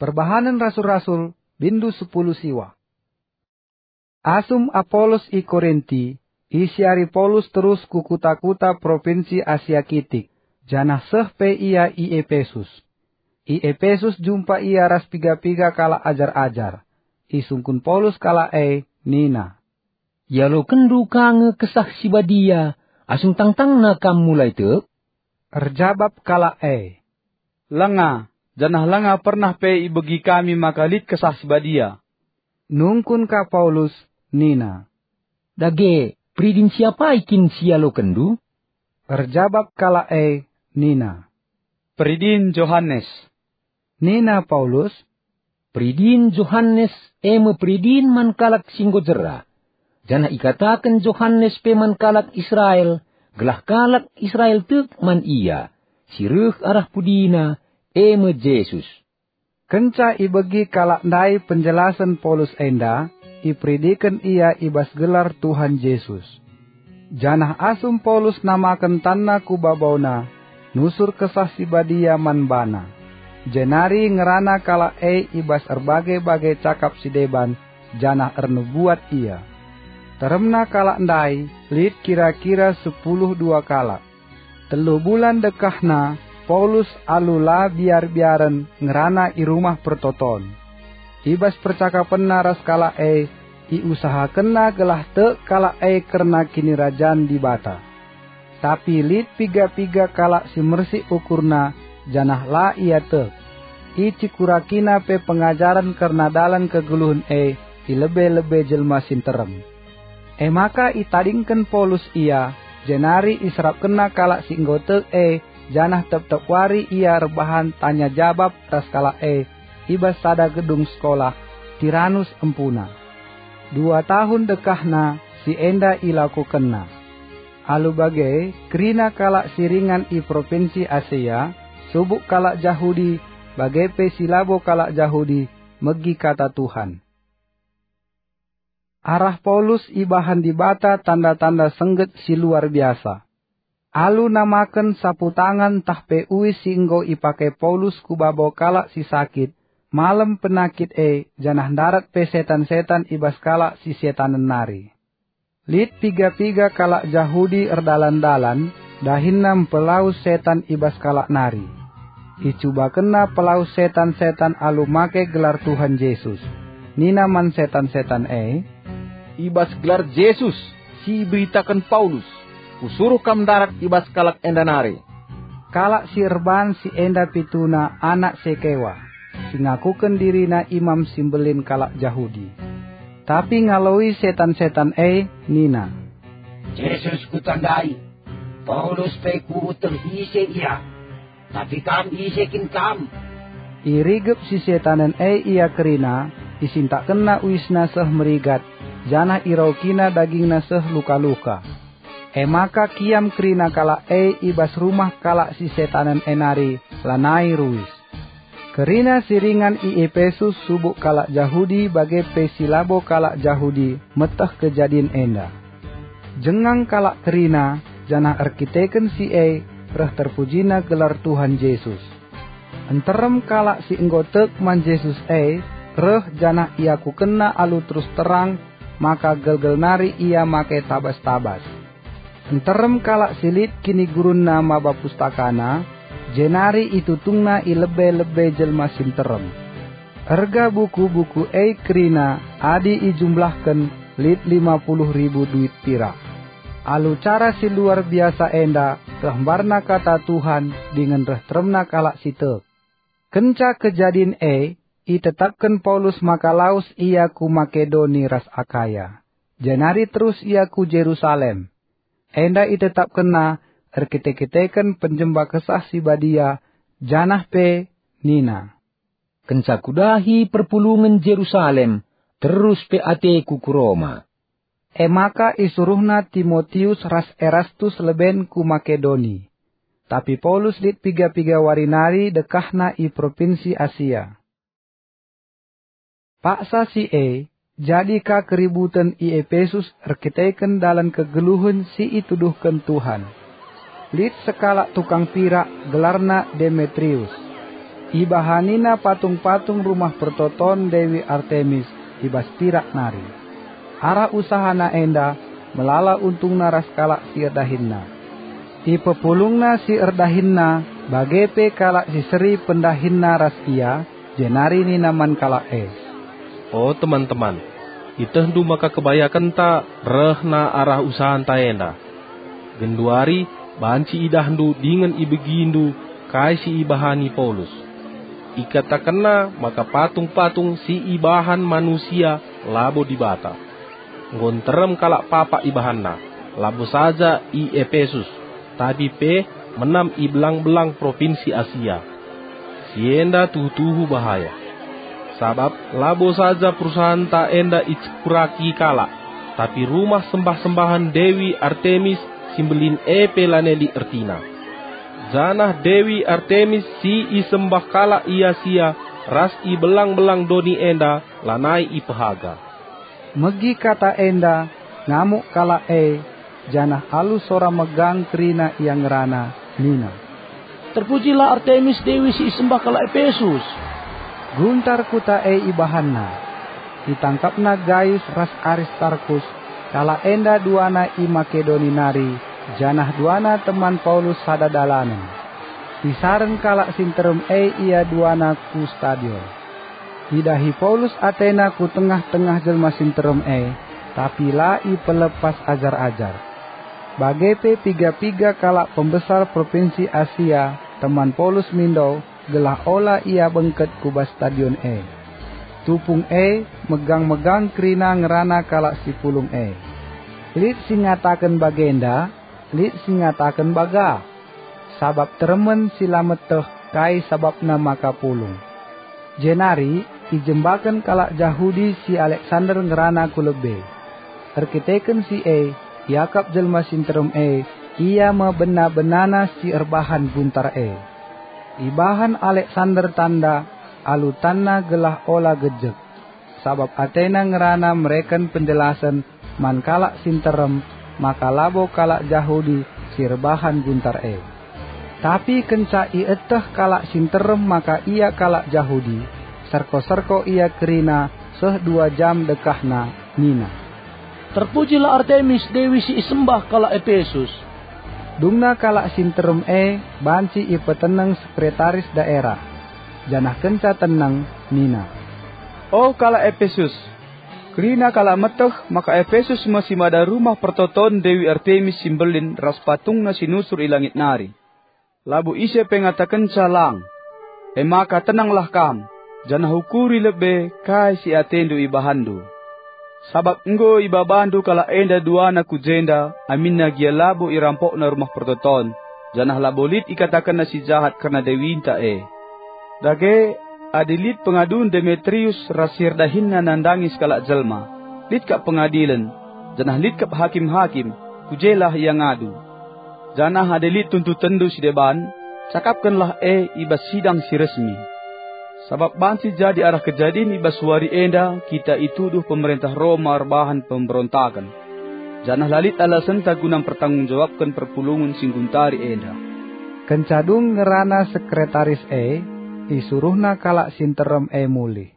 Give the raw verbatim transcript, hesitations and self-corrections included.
Perbahanen Rasul-Rasul, bindu sepuluh siwa. Asum Apolos i Korinti, isiari Paulus terus ku kuta-kuta propinsi Asia Kitik, janah seh pe ia i Epesus. I Epesus jumpa ia ras piga-piga kalak ajar-ajar. Isungkun Paulus kalak e, nina, "Ialokenndu ka nge Kesah Si Badia asum tangtangna kam mulai tek?" Erjabap kalak e, "Langa, janah langa pernah pe ibegi kami maka lit Kesah Si Badia." Nungkun ka Paulus, nina, "Dage, peridin si apai kin si ialokenndu?" Erjabap kalak e, nina, "Peridin Johanes." Nina Paulus, "Peridin Johanes e me peridin man kalak si enggo jera, janah ikataken Johanes pe man kalak Israel, gelah kalak Israel tek man ia, si reh arah pudina, e me Jesus." Kenca ibegi kalak ndai penjelasen Paulus enda, iperidiken ia i bas gelar Tuhan Jesus. Janah asum Paulus namaken tanna ku babauna, nusur Kesah Si Badia man bana. Jenari ngerana kalak e i bas erbage-bage cakap si deban, janah ernubuat ia. Teremna kalak ndai lit kira-kira sepuluh dua kalak. Telu bulan dekahna, Paulus alu la biar-biaren ngerana i Rumah Pertoton. I bas percakapenna ras kalak e, iusahakenna gelah tek kalak e kerna Kinirajan Dibata. Tapi lit piga-piga kalak si mersik ukurna, janah la ia tek. Icikurakina pe pengajaren kerna dalan kegeluhen e i lebe-lebe jelma si nterem. E maka itadingken Paulus ia, jenari iserapkenna kalak si enggo tek e, janah tep-tep wari ia erbahan tanya jabap ras kalak e i bas sada gedung sekolah, Tiranus empuna. Dua tahun dekahna si enda ilakokenna. Alu bage, kerina kalak si ringan i propinsi Asia, subuk kalak Jahudi, bage pe si labo kalak Jahudi, megi kata Tuhan. Arah Paulus ibahan Dibata tanda-tanda sengget si luar biasa. Alu namaken sapu tangan ntah pe uis si enggo ipake Paulus ku babo kalak si sakit, malem penakit e, janah ndarat pe setan-setan i bas kalak si setanen nari. Lit piga-piga kalak Jahudi erdalan-dalan, dahinna mpelawes setan i bas kalak nari. Icubakenna pelawes setan-setan alu make gelar Tuhan Jesus. Nina man setan-setan e, "I bas gelar Jesus si iberitaken Paulus, kusuruh kam ndarat i bas kalak enda nari." Kalak si erbahan si enda pituna anak Sekewa, si ngakuken dirina imam si mbelin kalak Jahudi. Tapi ngaloi setan-setan e nina, "Jesus kutandai, Paulus pe kueteh ise ia, tapi kam ise kin kam?" Irigep si setanen e ia kerina, isintakkenna uisna seh merigat, janah iraukina dagingna seh luka-luka. E maka kiam kerina kalak e i bas rumah kalak si setanen e nari, lanai ruis. Kerina si ringan i Epesus subuk kalak Jahudi bage pe si labo kalak Jahudi meteh kejadin enda. Jengang kalak kerina, janah erkiteken si e reh terpujina gelar Tuhan Jesus. Nterem kalak si enggo tek man Jesus e reh janah iakukenna alu terus terang maka gelgel nari ia make tabas-tabas. Nterem kalak si lit kinigurunna maba pustakana, jenari itutungna i lebe-lebe jelma si nterem. Erga buku-buku e kerina adi ijumlahken lit lima puluh ribu duit pirak. Alu cara si luar biasa enda reh mbarna kata Tuhan dingen reh teremna kalak si tek. Kenca kejadin e, itetapken Paulus maka lawes ia ku Makedoni ras Akaya. Jenari terus ia ku Jerusalem. Enda itetapkenna erkite-kiteken penjemba Kesah Si Badia, janah pe nina, "Kenca kudahi perpulungen Jerusalem, terus pe ateku ku Roma." E maka isuruhna Timotius ras Erastus leben ku Makedoni. Tapi Paulus lit piga-piga wari nari dekahna i propinsi Asia. Paksa si e, jadi ka keributen i Epesus erkiteken dalan kegeluhen si ituduhken Tuhan. Lit sekalak tukang pirak gelarna Demetrius. Ibahanina patung-patung rumah pertoton Dewi Artemis i bas pirak nari. Arah usahana enda melala untungna ras kalak si erdahinna. Ipepulungna si erdahinna, bage pe kalak si seri pendahinna ras ia, jenari nina man kalak e, "O teman-teman, ietehndu maka kebayakenta rehna arah usahanta enda. Genduari banci idahndu dingen ibegindu kai si ibahani Paulus. Ikatakenna maka patung-patung si ibahan manusia labo Dibata. Enggo nterem kalak papak ibahanna, labo saja i Epesus, tapi pe menam i belang-belang propinsi Asia. Si enda tuhu-tuhu bahaya. Sabap labo saja perusahanta enda icekuraki kalak, tapi rumah sembah-sembahen Dewi Artemis si mbelin e pe lanai lit ertina. Janah Dewi Artemis si isembah kalak i Asia ras i belang-belang doni enda lanai ipehaga." Megi kata enda, ngamuk kalak e, janah alu sora megang kerina ia ngerana, nina, "Terpujilah Artemis dewi si isembah kalak Epesus!" Guntar kuta e ibahanna. Itangkapna Gayus ras Aristarkus, kalak enda duana i Makedoni nari, janah duana teman Paulus sada dalanen. Isaren kalak si nterem e ia duana ku stadion. Idahi Paulus atena ku tengah-tengah jelma si nterem e, tapi la ipelepas ajar-ajar. Bage pe piga-piga kalak pembesar propinsi Asia teman Paulus mindo gelah ola ia bengket ku bas stadion e. Tupung e megang-megang kerina ngerana kalak si pulung e. Lit si ngataken bagenda, lit si ngataken baga, sabap teremen si la meteh kai sabapna maka pulung. Jenari ijembaken kalak Jahudi si Aleksander ngerana ku lebe. Erkiteken si e, iakap jelma si nterem e, ia me bena-benana si erbahan guntar e. Ibahan Aleksander tanda alu tanna gelah ola gejek, sabap atena ngerana mereken penjelasen man kalak si nterem maka labo kalak Jahudi si erbahan guntar e. Tapi kenca ieteh kalak si nterem maka ia kalak Jahudi, serko-serko ia kerina seh dua jam dekahna, nina, "Terpujilah Artemis dewi si isembah kalak Epesus!" Dungna kalak si nterem e banci ipeteneng sekretaris daerah, janah kenca teneng nina, "O kalak Epesus, kerina kalak meteh maka Epesus me si mada rumah pertoton Dewi Artemis si mbelin ras patungna si nusur i langit nari. Labo ise pe ngatakenca lang. E maka tenanglah kam, janah ukuri lebe kai si atendu ibahanndu. Sabap enggo ibabandu kalak enda duana ku jenda aminna gia labo irampokna rumah pertoton, janah labo lit ikatakenna si jahat kerna dewinta e. Dage, adi lit pengadun Demetrius ras si erdahinna nandangi sekalak jelma, lit kap pengadilen, janah lit kap hakim-hakim, ku jelah ia ngadu. Janah adi lit tuntutenndu si deban, cakapkenlah e i bas sidang si resmi. Sabap banci jadi arah kejadin i bas wari enda kita ituduh pemerentah Roma erbahan pemberontaken, janah la lit alasenta guna mpertanggung-jawabken perpulungen si ngguntari enda." Kenca dung ngerana sekretaris e, isuruhna kalak si nterem e mulih.